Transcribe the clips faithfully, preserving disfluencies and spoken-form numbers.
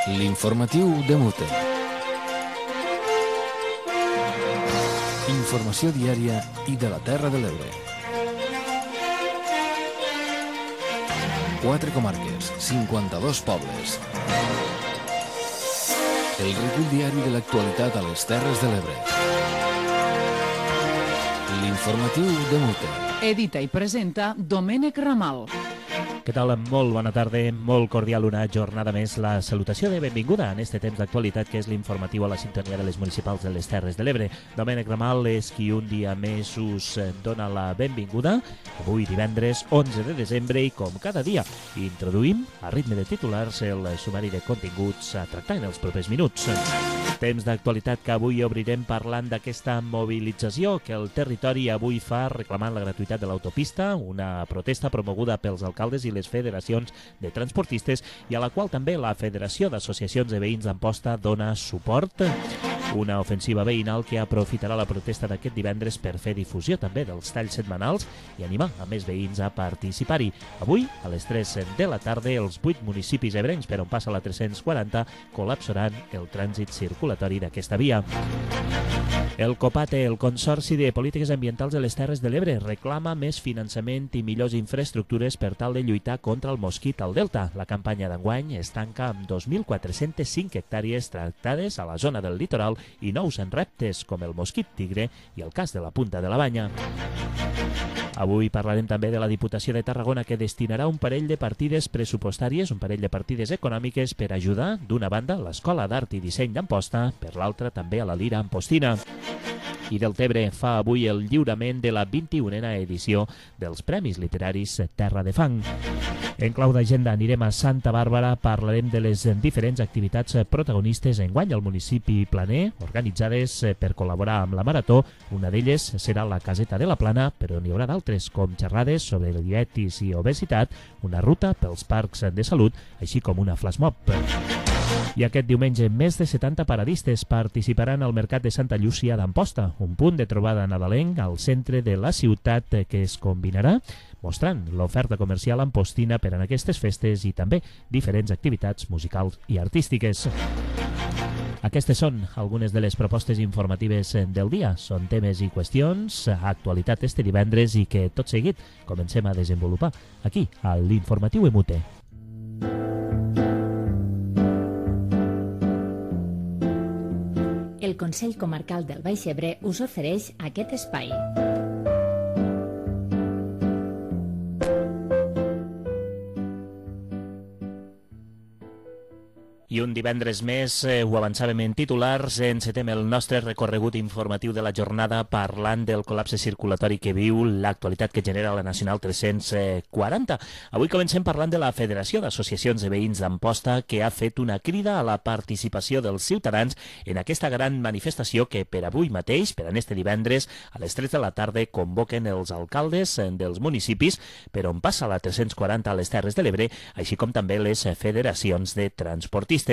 L'informatiu de Mute. Informació diària i de la Terra de l'Ebre. Quatre comarques, cinquanta-dos pobles. El recull diari de l'actualitat a les Terres de l'Ebre. L'informatiu de Mute. Edita i presenta Domènec Ramal. Què tal? Molt bona tarda, molt cordial una jornada més. La salutació de benvinguda en este temps d'actualitat que és l'informatiu a la sintonia de les municipals de les Terres de l'Ebre. Domènec Ramal és qui un dia més us dona la benvinguda. Avui divendres onze de desembre i com cada dia introduïm a ritme de titulars el sumari de continguts a tractar en els propers minuts. Temps d'actualitat que avui obrirem parlant d'aquesta mobilització que el territori avui fa reclamant la gratuïtat de l'autopista, una protesta promoguda pels alcaldes i les federacions de transportistes i a la qual també la Federació d'Associacions de Veïns d'Amposta dona suport. Una ofensiva veïnal que aprofitarà la protesta d'aquest divendres per fer difusió també dels talls setmanals i animar a més veïns a participar-hi. Avui, a les tres de la tarda, els vuit municipis ebrencs per on passa la tres-cents quaranta col·lapsaran el trànsit circulatori d'aquesta via. El COPATE, el Consorci de Polítiques Ambientals de les Terres de l'Ebre, reclama més finançament i millors infraestructures per tal de lluitar contra el mosquit al Delta. La campanya d'enguany es tanca amb dos mil quatre-cents cinc hectàrees tractades a la zona del litoral i nous reptes com el mosquit tigre i el cas de la Punta de la Banya. Avui parlarem també de la Diputació de Tarragona que destinarà un parell de partides pressupostàries, un parell de partides econòmiques per ajudar, d'una banda, l'Escola d'Art i Disseny d'Amposta, per l'altra també a la Lira Ampostina. I del Tebre fa avui el lliurament de la vint-i-unena edició dels Premis Literaris Terra de Fang. En clau d'agenda anirem a Santa Bàrbara, parlarem de les diferents activitats protagonistes enguany al municipi planer, organitzades per col·laborar amb la Marató. Una d'elles serà la Caseta de la Plana, però n'hi haurà d'altres, com xerrades sobre diabetis i obesitat, una ruta pels parcs de salut, així com una flash mob. I aquest diumenge més de setanta paradistes participaran al Mercat de Santa Llúcia d'Amposta, un punt de trobada nadalenc al centre de la ciutat que es combinarà mostrant l'oferta comercial ampostina per a aquestes festes i també diferents activitats musicals i artístiques. Aquestes són algunes de les propostes informatives del dia. Són temes i qüestions, actualitat este divendres i que tot seguit comencem a desenvolupar aquí, a l'Informatiu Emute. El Consell Comarcal del Baix Ebre us ofereix aquest espai. I un divendres més, eh, ho avançàvem en titulars, encetem el nostre recorregut informatiu de la jornada parlant del col·lapse circulatori que viu, l'actualitat que genera la Nacional tres-cents quaranta. Avui comencem parlant de la Federació d'Associacions de Veïns d'Amposta, que ha fet una crida a la participació dels ciutadans en aquesta gran manifestació que per avui mateix, per en este divendres, a les tres de la tarda, convoquen els alcaldes dels municipis per on passa la tres-cents quaranta a les Terres de l'Ebre, així com també les federacions de transportistes.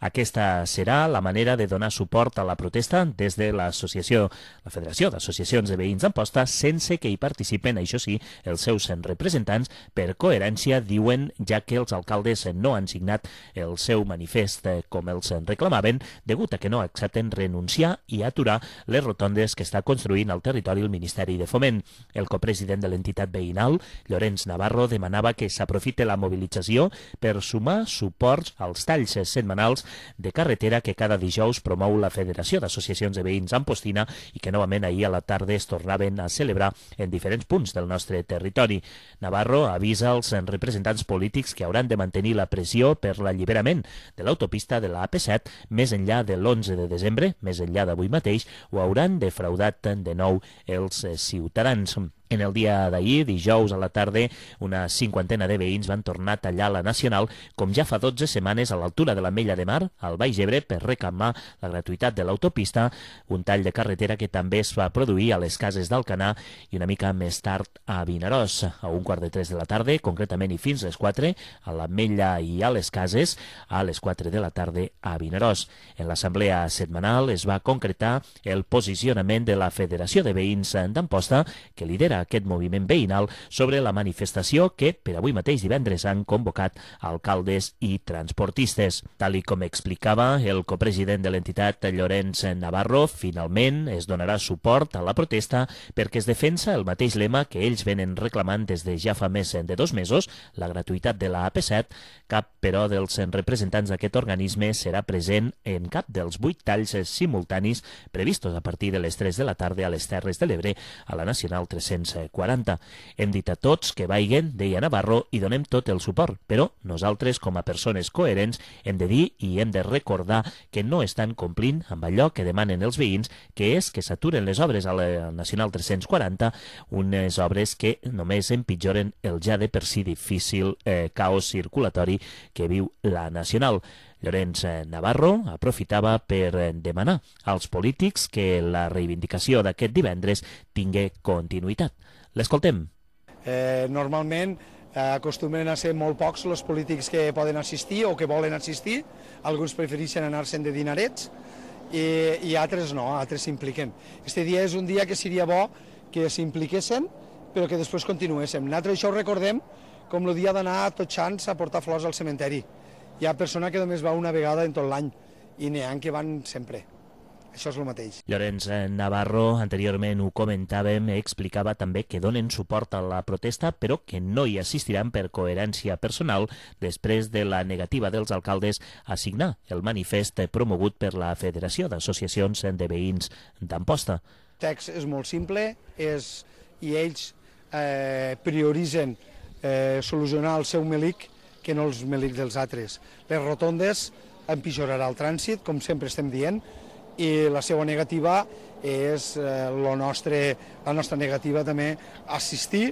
Aquesta serà la manera de donar suport a la protesta des de l'associació, la Federació d'Associacions de Veïns d'Amposta, sense que hi participen, això sí, els seus representants. Per coherència, diuen, ja que els alcaldes no han signat el seu manifest com els reclamaven, degut a que no accepten renunciar i aturar les rotondes que està construint al territori el Ministeri de Foment. El copresident de l'entitat veïnal, Llorenç Navarro, demanava que s'aprofite la mobilització per sumar suports als talls setmanals de carretera que cada dijous promou la Federació d'Associacions de Veïns Ampostina i que novament ahir a la tarda es tornaven a celebrar en diferents punts del nostre territori. Navarro avisa als representants polítics que hauran de mantenir la pressió per l'alliberament de l'autopista de la A P set més enllà de l'onze de desembre, més enllà d'avui mateix, o hauran defraudat de nou els ciutadans. En el dia d'ahir, dijous a la tarda, una cinquantena de veïns van tornar a tallar la Nacional, com ja fa dotze setmanes a l'altura de l'Ametlla de Mar, al Baix Ebre, per reclamar la gratuïtat de l'autopista, un tall de carretera que també es va produir a les Cases d'Alcanar i una mica més tard a Vinaròs. A un quart de tres de la tarda, concretament i fins les quatre, a l'Ametlla i a les Cases, a les quatre de la tarda a Vinaròs. En l'assemblea setmanal es va concretar el posicionament de la Federació de Veïns d'Amposta, que lidera aquest moviment veïnal sobre la manifestació que per avui mateix divendres han convocat alcaldes i transportistes. Tal i com explicava el copresident de l'entitat, Llorenç Navarro, finalment es donarà suport a la protesta perquè es defensa el mateix lema que ells venen reclamant des de ja fa més de dos mesos, la gratuïtat de la A P set. Cap, però, dels representants d'aquest organisme serà present en cap dels vuit talls simultanis previstos a partir de les tres de la tarda a les Terres de l'Ebre a la Nacional tres-cents quaranta. Hem dit a tots que vaiguen, deia Navarro, i donem tot el suport, però nosaltres, com a persones coherents, hem de dir i hem de recordar que no estan complint amb allò que demanen els veïns, que és que s'aturen les obres a la Nacional tres-cents quaranta, unes obres que només empitjoren el ja de per si difícil eh, caos circulatori que viu la Nacional. Llorenç Navarro aprofitava per demanar als polítics que la reivindicació d'aquest divendres tingui continuïtat. L'escoltem. Eh, normalment eh, acostumen a ser molt pocs els polítics que poden assistir o que volen assistir. Alguns prefereixen anar-se'n de dinarets i, i altres no, altres s'impliquen. Este dia és un dia que seria bo que s'impliquessin, però que després continuéssim. Nosaltres això ho recordem com el dia d'anar tots sants a portar flors al cementeri. Hi ha persona que només va una vegada en tot l'any i n'hi ha que van sempre. Això és el mateix. Llorenç Navarro, anteriorment ho comentàvem, explicava també que donen suport a la protesta, però que no hi assistiran per coherència personal després de la negativa dels alcaldes a signar el manifest promogut per la Federació d'Associacions de Veïns d'Amposta. El text és molt simple és, i ells eh, prioritzen eh, solucionar el seu melic que no els melics dels altres. Les rotondes empitjorarà el trànsit, com sempre estem dient, i la seva negativa és eh, lo nostre, la nostra negativa també assistir.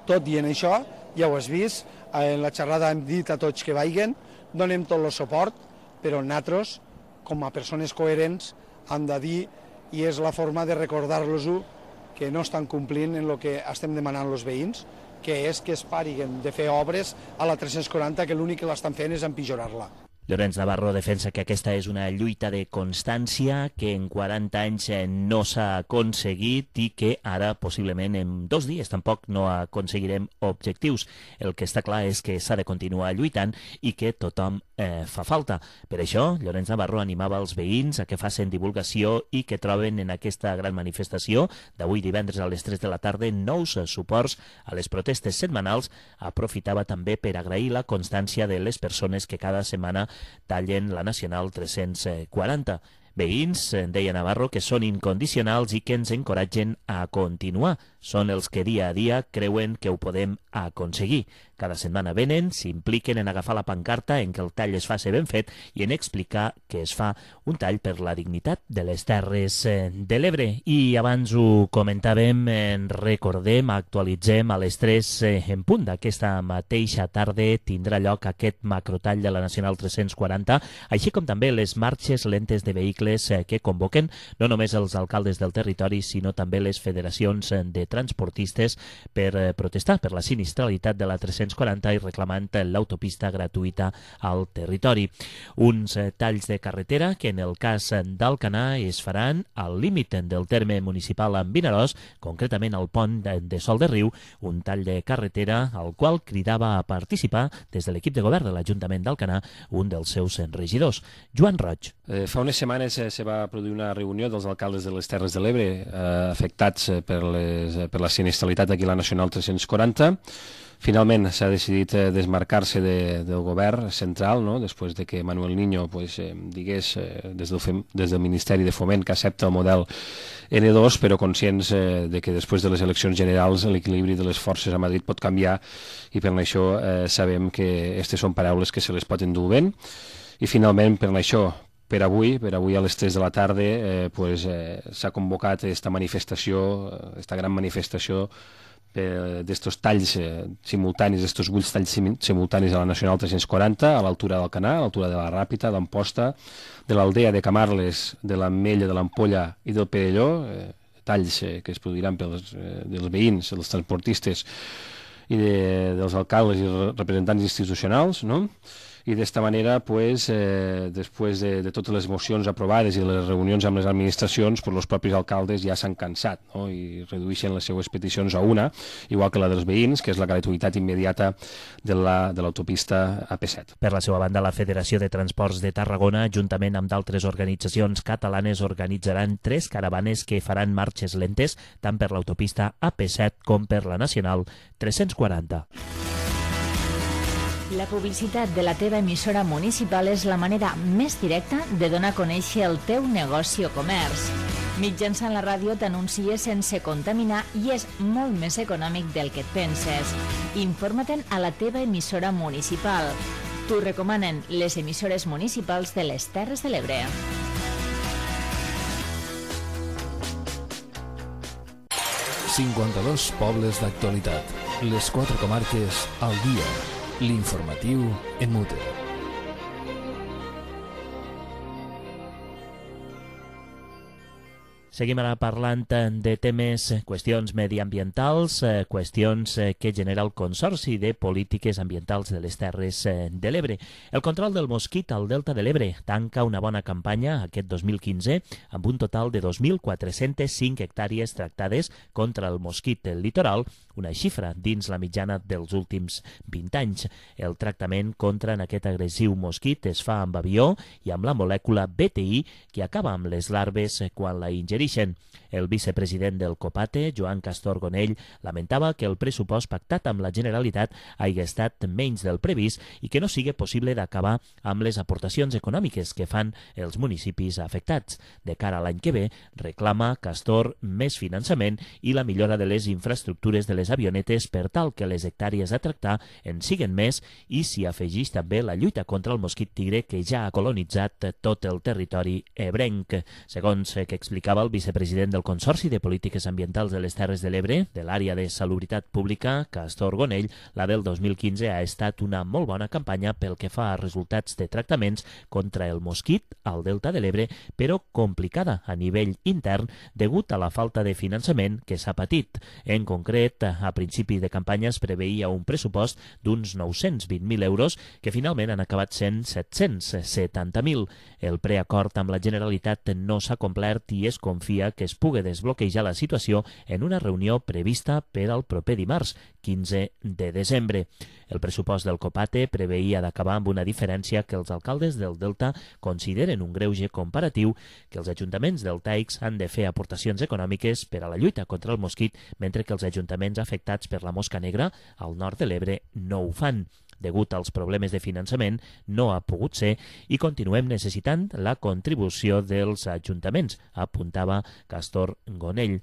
Tot dient això, ja ho has vist, en la xerrada hem dit a tots que vaiguen, donem tot el suport, però nosaltres, com a persones coherents, hem de dir, i és la forma de recordar-los-ho, que no estan complint en el que estem demanant els veïns, que és que es pariguen de fer obres a la tres-cents quaranta, que l'únic que l'estan fent és empitjorar-la. Llorenç Navarro defensa que aquesta és una lluita de constància que en quaranta anys no s'ha aconseguit i que ara, possiblement, en dos dies tampoc no aconseguirem objectius. El que està clar és que s'ha de continuar lluitant i que tothom eh, fa falta. Per això, Llorenç Navarro animava els veïns a que facin divulgació i que troben en aquesta gran manifestació d'avui divendres a les tres de la tarda nous suports a les protestes setmanals. Aprofitava també per agrair la constància de les persones que cada setmana tallen la Nacional tres-cents quaranta. Veïns, deia Navarro, que són incondicionals i que ens encoratgen a continuar. Són els que dia a dia creuen que ho podem aconseguir. Cada setmana venen, s'impliquen en agafar la pancarta en què el tall es faci ben fet i en explicar que es fa un tall per la dignitat de les Terres de l'Ebre. I abans ho comentàvem, recordem, actualitzem a les tres en punt d'aquesta mateixa tarda tindrà lloc aquest macrotall de la Nacional tres-cents quaranta, així com també les marxes lentes de vehicles que convoquen no només els alcaldes del territori, sinó també les federacions de transportistes per protestar per la sinistralitat de la tres-cents quaranta i reclamant l'autopista gratuïta al territori. Uns talls de carretera que en el cas d'Alcanar es faran al límit del terme municipal amb Vinaròs, concretament al pont de Sol de Riu, un tall de carretera al qual cridava a participar des de l'equip de govern de l'Ajuntament d'Alcanar un dels seus regidors, Joan Roig. Eh, fa unes setmanes eh, se va produir una reunió dels alcaldes de les Terres de l'Ebre eh, afectats eh, per, les, eh, per la sinistralitat aquí a la Nacional tres-cents quaranta. Finalment s'ha decidit eh, desmarcar-se de, del govern central, no? Després de que Manuel Niño pues, eh, digués eh, des, del, des del Ministeri de Foment que accepta el model ene dos, però conscients eh, de que després de les eleccions generals l'equilibri de les forces a Madrid pot canviar i per això eh, sabem que aquestes són paraules que se les pot endur vent. I finalment, per això, per avui, per avui a les tres de la tarda, eh, pues, eh, s'ha convocat aquesta manifestació, aquesta gran manifestació eh, d'estos talls eh, simultanis, d'estos vuit talls simultanis a la Nacional tres-cents quaranta, a l'altura del Canà, a l'altura de la Ràpita, d'Amposta, de l'Aldea de Camarles, de l'Ametlla, de l'Ampolla i del Perelló, eh, talls eh, que es produiran pels eh, dels veïns, dels transportistes i de, dels alcaldes i representants institucionals, no? i d'esta manera, pues, eh, després de, de totes les mocions aprovades i les reunions amb les administracions, pues, els propis alcaldes ja s'han cansat, no? I redueixen les seues peticions a una, igual que la dels veïns, que és la gratuïtat immediata de l'autopista la, A P set. Per la seva banda, la Federació de Transports de Tarragona, juntament amb d'altres organitzacions catalanes, organitzaran tres caravanes que faran marxes lentes tant per l'autopista A P set com per la Nacional tres-cents quaranta. La publicitat de la teva emissora municipal és la manera més directa de donar a conèixer el teu negoci o comerç. Mitjançant la ràdio t'anuncies sense contaminar i és molt més econòmic del que et penses. Informa-te'n a la teva emissora municipal. T'ho recomanen les emissores municipals de les Terres de l'Ebre. cinquanta-dos pobles d'actualitat. Les quatre comarques al dia. L'informatiu en Mute. Seguim ara parlant de temes, qüestions mediambientals, qüestions que genera el Consorci de Polítiques Ambientals de les Terres de l'Ebre. El control del mosquit al Delta de l'Ebre tanca una bona campanya aquest dos mil quinze amb un total de dos mil quatre-cents cinc hectàrees tractades contra el mosquit del litoral, una xifra dins la mitjana dels últims vint anys. El tractament contra aquest agressiu mosquit es fa amb avió i amb la molècula B T I que acaba amb les larves quan la ingereixen. El vicepresident del COPATE, Joan Castor Gonell, lamentava que el pressupost pactat amb la Generalitat hagi estat menys del previst i que no sigui possible d'acabar amb les aportacions econòmiques que fan els municipis afectats. De cara a l'any que ve, reclama Castor més finançament i la millora de les infraestructures de les avionetes per tal que les hectàrees a tractar en siguen més i s'hi afegeix també la lluita contra el mosquit tigre que ja ha colonitzat tot el territori ebrenc. Segons que explicava el vicepresident del Consorci de Polítiques Ambientals de les Terres de l'Ebre, de l'àrea de Salubritat Pública, Castor Gonell, la del dos mil quinze ha estat una molt bona campanya pel que fa a resultats de tractaments contra el mosquit al Delta de l'Ebre, però complicada a nivell intern degut a la falta de finançament que s'ha patit. En concret, a principi de campanya es preveia un pressupost d'uns nou-cents vint mil euros que finalment han acabat sent set-cents setanta mil. El preacord amb la Generalitat no s'ha complert i es confia que es pugui desbloquejar la situació en una reunió prevista per al proper dimarts, quinze de desembre. El pressupost del COPATE preveia d'acabar amb una diferència que els alcaldes del Delta consideren un greuge comparatiu, que els ajuntaments deltaics han de fer aportacions econòmiques per a la lluita contra el mosquit, mentre que els ajuntaments afectats per la mosca negra al nord de l'Ebre no ho fan. Degut als problemes de finançament, no ha pogut ser i continuem necessitant la contribució dels ajuntaments, apuntava Castor Gonell.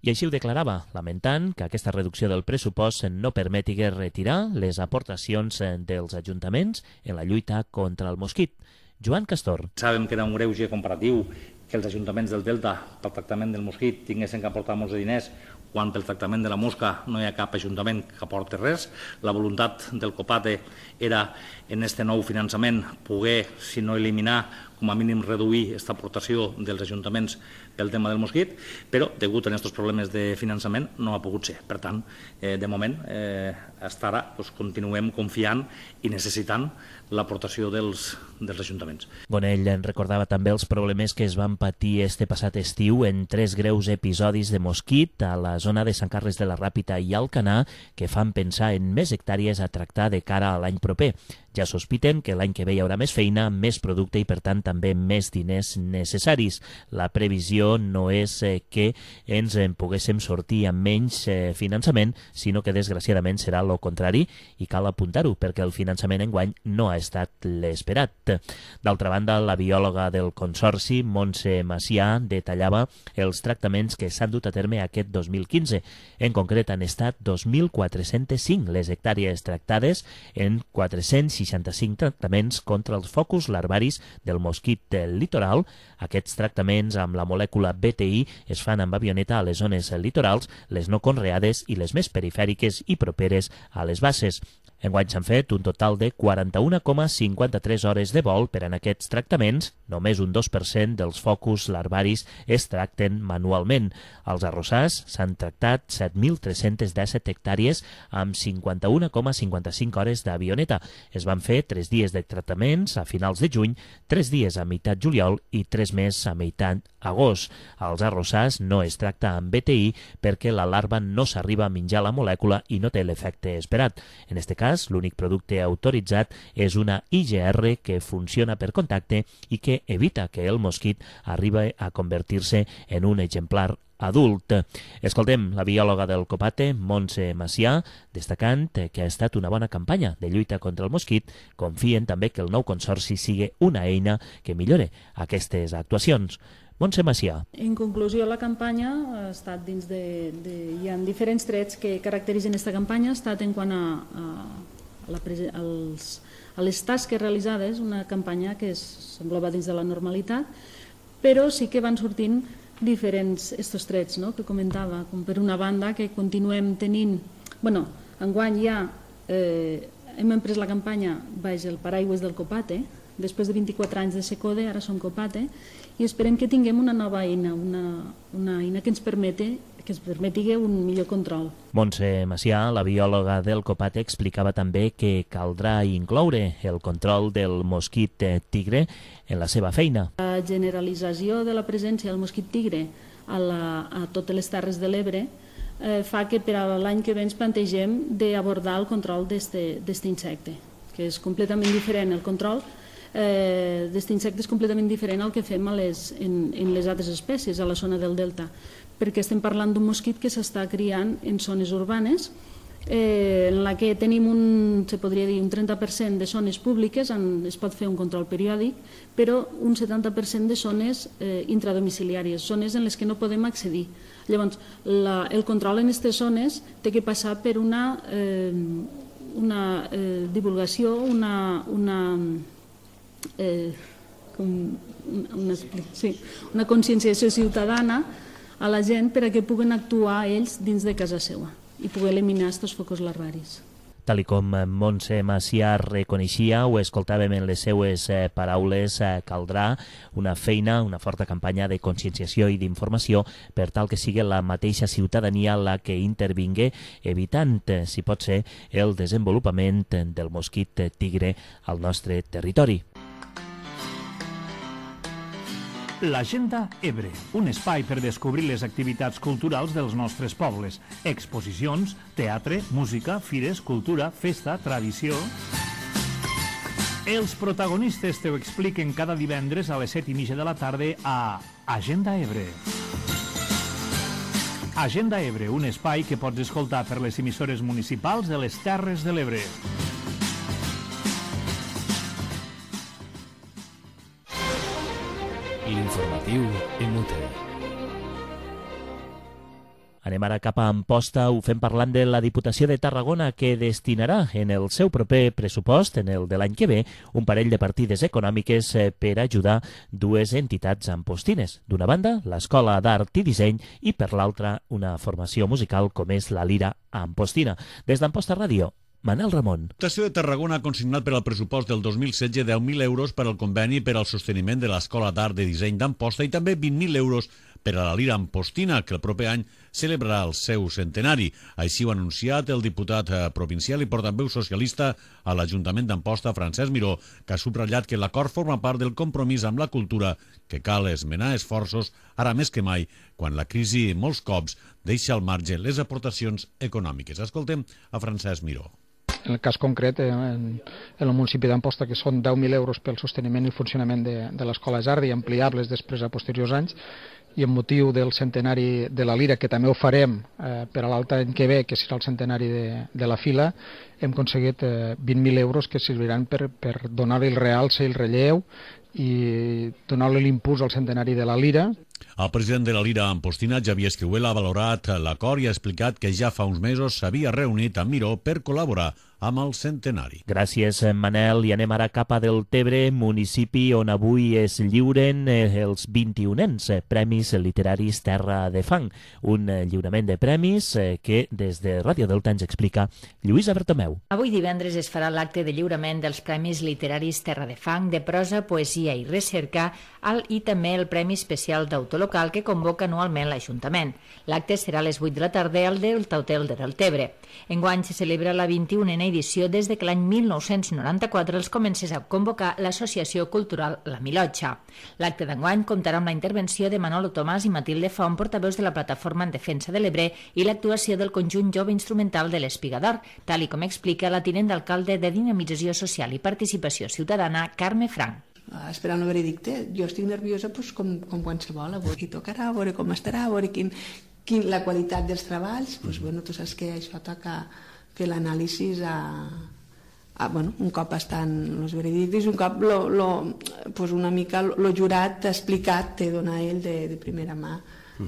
I així ho declarava, lamentant que aquesta reducció del pressupost no permeti retirar les aportacions dels ajuntaments en la lluita contra el mosquit. Joan Castor. Sabem que era un greuge comparatiu que els ajuntaments del Delta pel tractament del mosquit tinguessin que aportar molts de diners quan pel tractament de la mosca no hi ha cap ajuntament que aporti res. La voluntat del COPATE era, en aquest nou finançament, poder, si no eliminar, com a mínim reduir aquesta aportació dels ajuntaments pel tema del mosquit, però, degut a aquests problemes de finançament, no ha pogut ser. Per tant, eh, de moment, eh, fins ara, doncs, continuem confiant i necessitant l'aportació dels, dels ajuntaments. Gonell en recordava també els problemes que es van patir este passat estiu en tres greus episodis de mosquit a la zona de Sant Carles de la Ràpita i Alcanar que fan pensar en més hectàrees a tractar de cara a l'any proper. Ja sospiten que l'any que ve hi haurà més feina, més producte i, per tant, també més diners necessaris. La previsió no és eh, que ens en poguéssim sortir amb menys eh, finançament, sinó que, desgraciadament, serà el contrari i cal apuntar-ho, perquè el finançament enguany no ha estat l'esperat. D'altra banda, la biòloga del Consorci, Montse Macià, detallava els tractaments que s'han dut a terme aquest dos mil quinze. En concret, han estat dos mil quatre-cents cinc les hectàrees tractades en quatre-cents seixanta-cinc tractaments contra els focus larvaris del mosquit del litoral. Aquests tractaments amb la molècula B T I es fan amb avioneta a les zones litorals, les no conreades i les més perifèriques i properes a les basses. Enguany s'han fet un total de quaranta-una coma cinquanta-tres hores de vol per en aquests tractaments. Només un dos per cent dels focus larvaris es tracten manualment. Als arrossars s'han tractat set mil tres-cents disset hectàrees amb cinquanta-una coma cinquanta-cinc hores d'avioneta. Es van fer tres dies de tractaments a finals de juny, tres dies a meitat juliol i tres més a meitat agost. Als arrossars no es tracta amb B T I perquè la larva no s'arriba a menjar la molècula i no té l'efecte esperat. En este cas, l'únic producte autoritzat és una I G R que funciona per contacte i que evita que el mosquit arribi a convertir-se en un exemplar adult. Escoltem la biòloga del Copate, Montse Macià, destacant que ha estat una bona campanya de lluita contra el mosquit. Confien també que el nou consorci sigui una eina que millore aquestes actuacions. Montse Macià. En conclusió, la campanya ha estat dins de... de hi ha diferents trets que caracteritzen aquesta campanya. Ha estat en quant a, a, a, la, als, a les tasques realitzades, una campanya que s'engloba dins de la normalitat, però sí que van sortint diferents estos trets, no?, que comentava, com per una banda que continuem tenint... Bueno, enguany ja eh, hem emprès la campanya baix el paraigües del Copate, després de vint-i-quatre anys de Secode, ara som Copate, i esperem que tinguem una nova eina, una, una eina que ens permeti que ens permeti un millor control. Montse Macià, la biòloga del Copate, explicava també que caldrà incloure el control del mosquit tigre en la seva feina. La generalització de la presència del mosquit tigre a, la, a totes les terres de l'Ebre eh, fa que per a l'any que ve ens plantegem d'abordar el control d'aquest insecte, que és completament diferent el control eh, d'aquest insecte és completament diferent al que fem a les, en, en les altres espècies a la zona del delta, perquè estem parlant d'un mosquit que s'està criant en zones urbanes, eh, en la que tenim un, se podria dir, un trenta per cent de zones públiques on es pot fer un control periòdic, però un setanta per cent de zones eh, intradomiciliàries, zones en les que no podem accedir. Llavors, la, el control en aquestes zones té que passar per una, eh, una eh, divulgació, una... una Eh, com una, sí, una conscienciació ciutadana a la gent per a que puguen actuar ells dins de casa seva i poder eliminar aquests focus larvaris. Tal com Montse Macià reconeixia, ho escoltàvem en les seues paraules, caldrà una feina, una forta campanya de conscienciació i d'informació per tal que sigui la mateixa ciutadania la que intervingui, evitant, si pot ser, el desenvolupament del mosquit tigre al nostre territori. L'Agenda Ebre, un espai per descobrir les activitats culturals dels nostres pobles. Exposicions, teatre, música, fires, cultura, festa, tradició... Els protagonistes te ho expliquen cada divendres a les set i mitja de la tarda a Agenda Ebre. Agenda Ebre, un espai que pots escoltar per les emissores municipals de les Terres de l'Ebre. L'informatiu Emute. Anem ara cap a Amposta, ho fem parlant de la Diputació de Tarragona, que destinarà en el seu proper pressupost, en el de l'any que ve, un parell de partides econòmiques per ajudar dues entitats ampostines. D'una banda, l'Escola d'Art i Disseny, i per l'altra, una formació musical com és la Lira Ampostina. Des d'Amposta Ràdio, Manel Ramon. La Diputació de Tarragona ha consignat per al pressupost del dos mil setze deu mil euros per al conveni per al sosteniment de l'Escola d'Art i Disseny d'Amposta i també vint mil euros per a la Lira Ampostina, que el proper any celebrarà el seu centenari. Així ho ha anunciat el diputat provincial i portaveu socialista a l'Ajuntament d'Amposta, Francesc Miró, que ha subratllat que l'acord forma part del compromís amb la cultura, que cal esmenar esforços, ara més que mai, quan la crisi molts cops deixa al marge les aportacions econòmiques. Escoltem a Francesc Miró. En el cas concret, en, en el municipi d'Amposta, que són deu mil euros pel sosteniment i funcionament de, de l'Escola Sardi, ampliables després a posteriors anys, i amb motiu del centenari de la Lira, que també ho farem eh, per a l'altre any que ve, que serà el centenari de, de la Fila, hem aconseguit eh, vint mil euros que serviran per, per donar-li el realce i el relleu i donar-li l'impuls al centenari de la Lira. El president de la Lira Ampostina, Xavier Esquivel, ha valorat l'acord i ha explicat que ja fa uns mesos s'havia reunit amb Miró per col·laborar amb el centenari. Gràcies, Manel. I anem ara cap a Deltebre, municipi on avui es lliuren els vint-i-unens Premis Literaris Terra de Fang. Un lliurament de premis que des de Ràdio Delta ens explica Lluïsa Bertomeu. Avui divendres es farà l'acte de lliurament dels Premis Literaris Terra de Fang de prosa, poesia i recerca i també el Premi Especial d'Autor Local que convoca anualment l'Ajuntament. L'acte serà a les vuit de la tarda al Delta Hotel de Deltebre. Enguany se celebra la vint-i-unena edició des de que l'any mil nou-cents noranta-quatre els comencés a convocar l'Associació Cultural La Milotxa. L'acte d'enguany comptarà amb la intervenció de Manolo Tomàs i Matilde Font, portaveus de la Plataforma en Defensa de l'Ebre, i l'actuació del conjunt jove instrumental de l'Espigador, tal i com explica la tinent d'alcalde de Dinamització Social i Participació Ciutadana, Carme Frank. Esperant el veredicte, jo estic nerviosa doncs, com, com qualsevol, a veure qui tocarà, a veure com estarà, a veure quin, quin, la qualitat dels treballs. Doncs, bueno, tu saps que això toca fer l'anàlisi a, a, bueno, un cop estan els veredictes, un cop lo, lo, pues una mica el jurat ha explicat, té donar ell de, de primera mà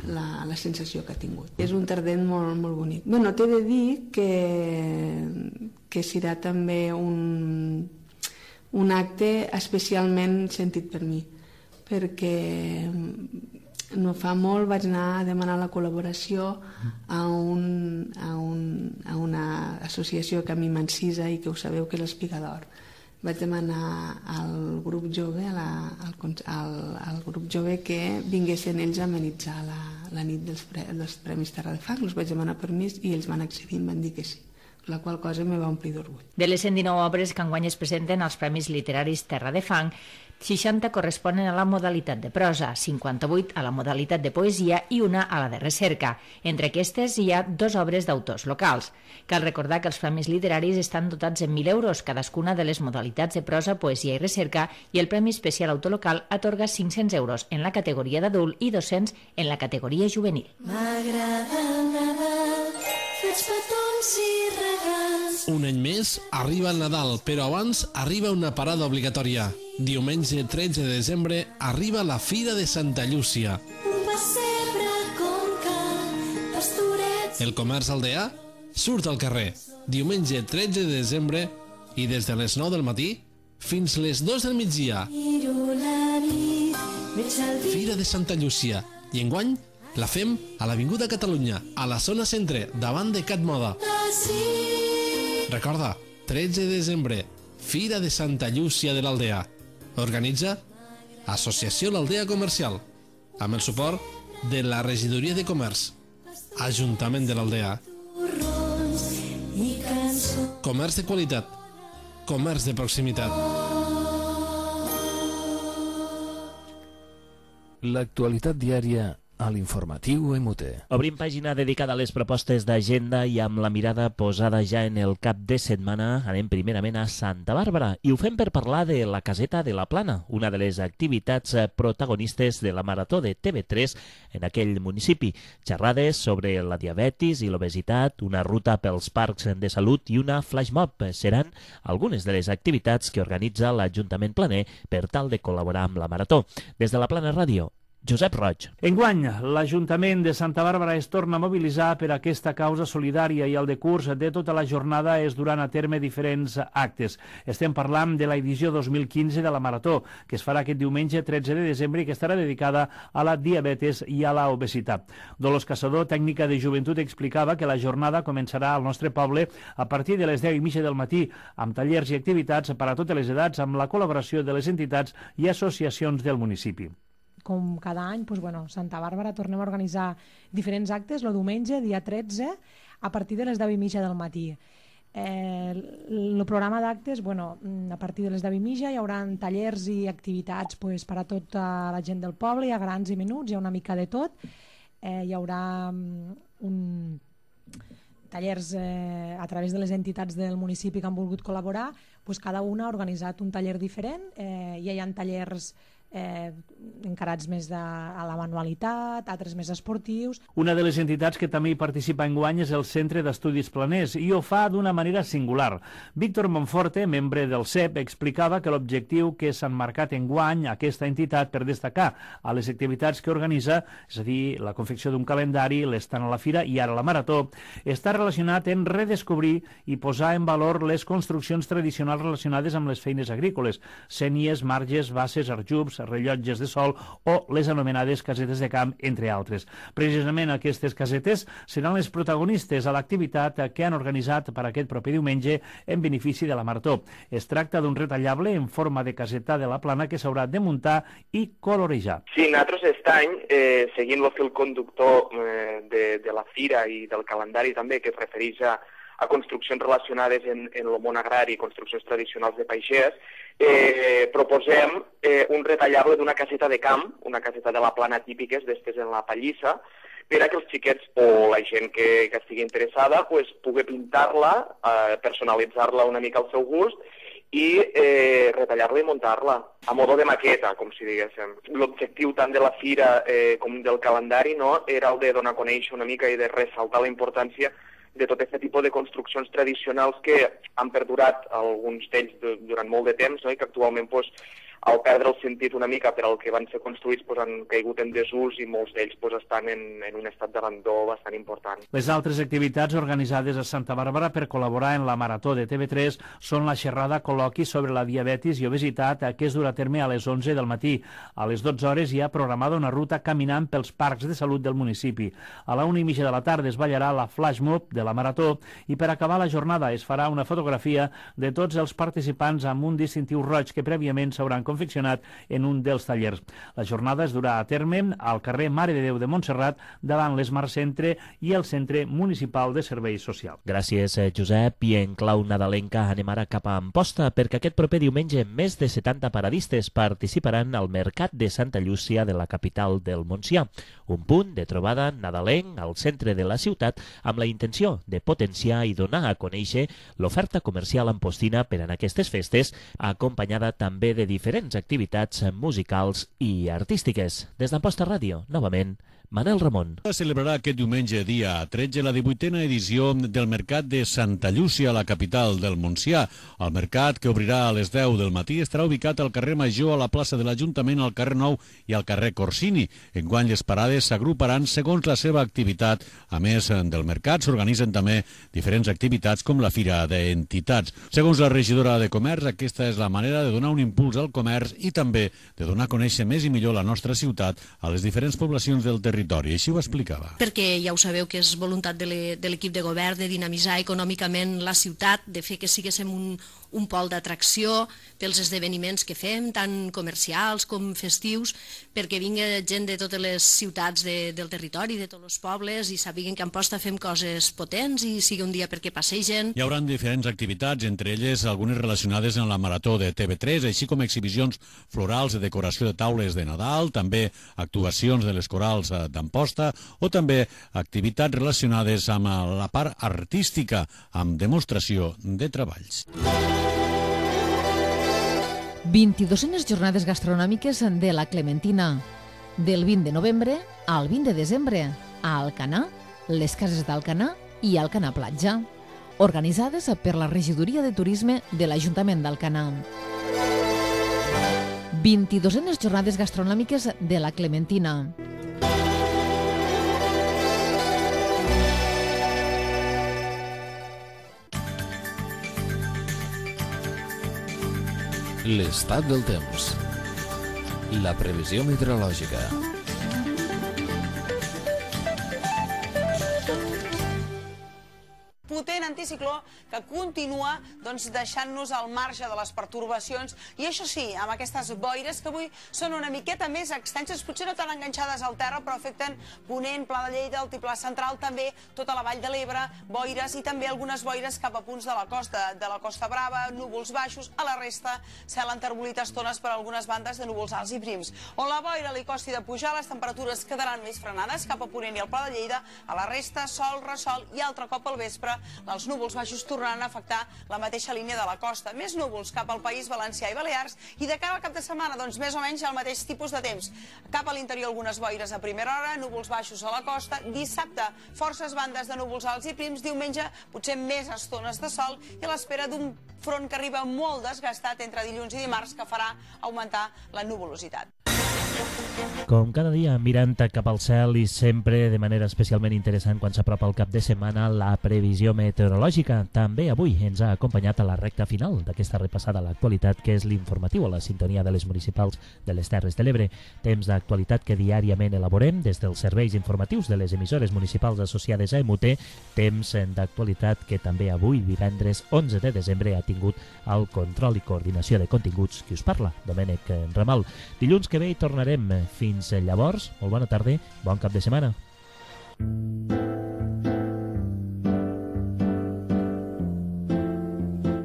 la, la sensació que ha tingut. És un tardent molt, molt bonic. Bueno, t'he de dir que, que serà també un, un acte especialment sentit per mi, perquè no fa molt vaig anar a demanar la col·laboració a, un, a, un, a una associació que a mi m'encisa i que ho sabeu que és l'Espigador. Vaig demanar al grup jove, a la, al, al, al grup jove que vinguessin ells a amenitzar la, la nit dels, pre, dels Premis Terra de Fang. Els vaig demanar permís i ells van accedir i em van dir que sí, la qual cosa me va omplir d'orgull. De les cent dinou obres que enguany es presenten als Premis Literaris Terra de Fang, seixanta corresponen a la modalitat de prosa, cinquanta-vuit a la modalitat de poesia i una a la de recerca. Entre aquestes hi ha dues obres d'autors locals. Cal recordar que els premis literaris estan dotats en mil euros cadascuna de les modalitats de prosa, poesia i recerca, i el Premi Especial Autor Local atorga cinc-cents euros en la categoria d'adult i dos-cents en la categoria juvenil. M'agrada el Nadal, fets petons i regals. Un any més arriba el Nadal, però abans arriba una parada obligatòria. Diumenge tretze de desembre arriba la Fira de Santa Llúcia. Un pessebre com cal, pastorets. El comerç aldeà surt al carrer. Diumenge tretze de desembre i des de les nou del matí fins les dues del migdia. Fira de Santa Llúcia. I enguany la fem a l'Avinguda Catalunya, a la zona centre, davant de Cat Moda. Recorda, tretze de desembre, Fira de Santa Llúcia de l'Aldea. Organitza Associació l'Aldea Comercial, amb el suport de la Regidoria de Comerç, Ajuntament de l'Aldea. Comerç de qualitat, comerç de proximitat. L'actualitat diària a l'informatiu M U T. Obrim pàgina dedicada a les propostes d'agenda i amb la mirada posada ja en el cap de setmana anem primerament a Santa Bàrbara i ho fem per parlar de la Caseta de la Plana, una de les activitats protagonistes de la Marató de T V tres en aquell municipi. Xerrades sobre la diabetis i l'obesitat, una ruta pels parcs de salut i una flash mob seran algunes de les activitats que organitza l'Ajuntament planer per tal de col·laborar amb la Marató. Des de la Plana Ràdio, Josep Roig. Enguany, l'Ajuntament de Santa Bàrbara es torna a mobilitzar per aquesta causa solidària i el decurs de tota la jornada es duran a terme diferents actes. Estem parlant de l'edició dos mil quinze de la Marató, que es farà aquest diumenge tretze de desembre i que estarà dedicada a la diabetes i a la obesitat. Dolors Caçador, tècnica de joventut, explicava que la jornada començarà al nostre poble a partir de les deu i mitja del matí, amb tallers i activitats per a totes les edats, amb la col·laboració de les entitats i associacions del municipi. Com cada any, doncs, bueno, Santa Bàrbara tornem a organitzar diferents actes el diumenge, dia tretze, a partir de les deu i mitja del matí. Eh, el programa d'actes, bueno, a partir de les deu i mitja hi haurà tallers i activitats pues, per a tota la gent del poble, hi ha grans i menuts, hi ha una mica de tot. Eh, hi haurà un tallers eh, a través de les entitats del municipi que han volgut col·laborar, pues cada una ha organitzat un taller diferent, eh, ja hi ha tallers eh, encarats més de, a la manualitat, altres més esportius. Una de les entitats que també hi participa enguany és el Centre d'Estudis Planers i ho fa d'una manera singular. Víctor Monforte, membre del C E P, explicava que l'objectiu que s'han marcat enguany aquesta entitat per destacar a les activitats que organitza, és a dir, la confecció d'un calendari, l'estant a la fira i ara la marató, està relacionat en redescobrir i posar en valor les construccions tradicionals relacionades amb les feines agrícoles, sénies, marges, basses, arjubs, rellotges de sol o les anomenades casetes de camp, entre altres. Precisament aquestes casetes seran les protagonistes a l'activitat que han organitzat per aquest proper diumenge en benefici de la marató. Es tracta d'un retallable en forma de caseta de la plana que s'haurà de muntar i colorejar. Sí, nosaltres aquest any, eh, seguint el fil conductor eh, de, de la fira i del calendari també, que es refereix a a construccions relacionades en, en el món agrari, construccions tradicionals de pagès, eh, proposem eh, un retallable d'una caseta de camp, una caseta de la plana típiques, d'estes en la pallissa, per a que els xiquets o la gent que, que estigui interessada pues, pugui pintar-la, eh, personalitzar-la una mica al seu gust i eh, retallar-la i muntar-la, a modo de maqueta, com si diguéssim. L'objectiu tant de la fira eh, com del calendari no, era el de donar a conèixer una mica i de ressaltar la importància de tot aquest tipus de construccions tradicionals que han perdurat alguns d'ells durant molt de temps, no? I que actualment pues, al perdre el sentit una mica per al que van ser construïts pues, han caigut en desús i molts d'ells pues, estan en, en un estat d'abandó bastant important. Les altres activitats organitzades a Santa Bàrbara per col·laborar en la Marató de T V tres són la xerrada col·loqui sobre la diabetis i obesitat que es durà a terme a les onze del matí. A les dotze hores hi ha programada una ruta caminant pels parcs de salut del municipi. A la una i mitja de la tarda es ballarà la flash mob de la Marató i per acabar la jornada es farà una fotografia de tots els participants amb un distintiu roig que prèviament s'hauran confeccionat en un dels tallers. La jornada es durà a terme al carrer Mare de Déu de Montserrat davant l'Esmar Centre i el Centre Municipal de Serveis Socials. Gràcies, Josep. I en clau nadalenca anem ara cap a Amposta perquè aquest proper diumenge més de setanta paradistes participaran al Mercat de Santa Llúcia de la capital del Montsià, un punt de trobada nadalenc al centre de la ciutat amb la intenció de potenciar i donar a conèixer l'oferta comercial ampostina per en aquestes festes, acompanyada també de diferents activitats musicals i artístiques. Des d'Amposta Ràdio, novament, Manel Ramon. Es celebrarà aquest diumenge, dia tretze, la divuitena edició del Mercat de Santa Llúcia, a la capital del Montsià. El mercat, que obrirà a les deu del matí, estarà ubicat al carrer Major, a la plaça de l'Ajuntament, al carrer Nou i al carrer Corsini. Enguany les parades s'agruparan segons la seva activitat. A més del mercat, s'organitzen també diferents activitats com la Fira d'Entitats. Segons la regidora de Comerç, aquesta és la manera de donar un impuls al comerç i també de donar a conèixer més i millor la nostra ciutat a les diferents poblacions del territori. Així ho explicava. Perquè ja ho sabeu que és voluntat de l'equip de govern de dinamitzar econòmicament la ciutat, de fer que siguéssim un, un pol d'atracció pels esdeveniments que fem, tant comercials com festius, perquè vingui gent de totes les ciutats de, del territori, de tots els pobles, i sàpiguen que a Amposta fem coses potents i sigui un dia perquè passegen. Hi haurà diferents activitats, entre elles algunes relacionades amb la Marató de T V tres, així com exhibicions florals de decoració de taules de Nadal, també actuacions de les corals d'Amposta o també activitats relacionades amb la part artística, amb demostració de treballs. vint-i-duenes jornades gastronòmiques de la Clementina, del vint de novembre al vint de desembre, a Alcanar, les cases d'Alcanar i Alcanar Platja, organitzades per la Regidoria de Turisme de l'Ajuntament d'Alcanar. vint-i-duenes jornades gastronòmiques de la Clementina. L'estat del temps. La previsió meteorològica. Potent anticicló que continua doncs, deixant-nos al marge de les pertorbacions i això sí, amb aquestes boires que avui són una miqueta més extenses, potser no tan enganxades al terra, però afecten Ponent, Pla de Lleida, Altiplà Central, també tota la Vall de l'Ebre, boires i també algunes boires cap a punts de la costa, de la Costa Brava, núvols baixos, a la resta cel enterbolit a estones per algunes bandes de núvols alts i prims. On la boira li costi de pujar, les temperatures quedaran més frenades cap a Ponent i al Pla de Lleida, a la resta sol, ressol i altre cop al vespre l'alçada els núvols baixos tornaran a afectar la mateixa línia de la costa. Més núvols cap al País Valencià i Balears i de cara al cap de setmana, doncs més o menys el mateix tipus de temps. Cap a l'interior algunes boires a primera hora, núvols baixos a la costa. Dissabte, forces bandes de núvols alts i prims. Diumenge, potser més estones de sol i a l'espera d'un front que arriba molt desgastat entre dilluns i dimarts que farà augmentar la nuvolositat. Com cada dia, mirant cap al cel i sempre de manera especialment interessant quan s'apropa el cap de setmana, la previsió meteorològica. També avui ens ha acompanyat a la recta final d'aquesta repassada a l'actualitat, que és l'informatiu a la sintonia de les municipals de les Terres de l'Ebre. Temps d'actualitat que diàriament elaborem des dels serveis informatius de les emissores municipals associades a E M U T. Temps d'actualitat que també avui, divendres onze de desembre, ha tingut el control i coordinació de continguts qui us parla, Domènec Ramal. Dilluns que ve hi tornarem. Fins llavors, molt bona tarda, bon cap de setmana.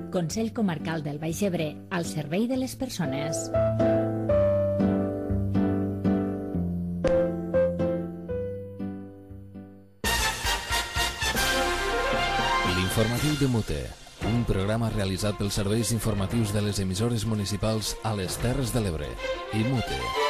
Consell Comarcal del Baix Ebre, al servei de les persones. L'informatiu de Mute, un programa realitzat pels serveis informatius de les emissores municipals a les Terres de l'Ebre i Mute.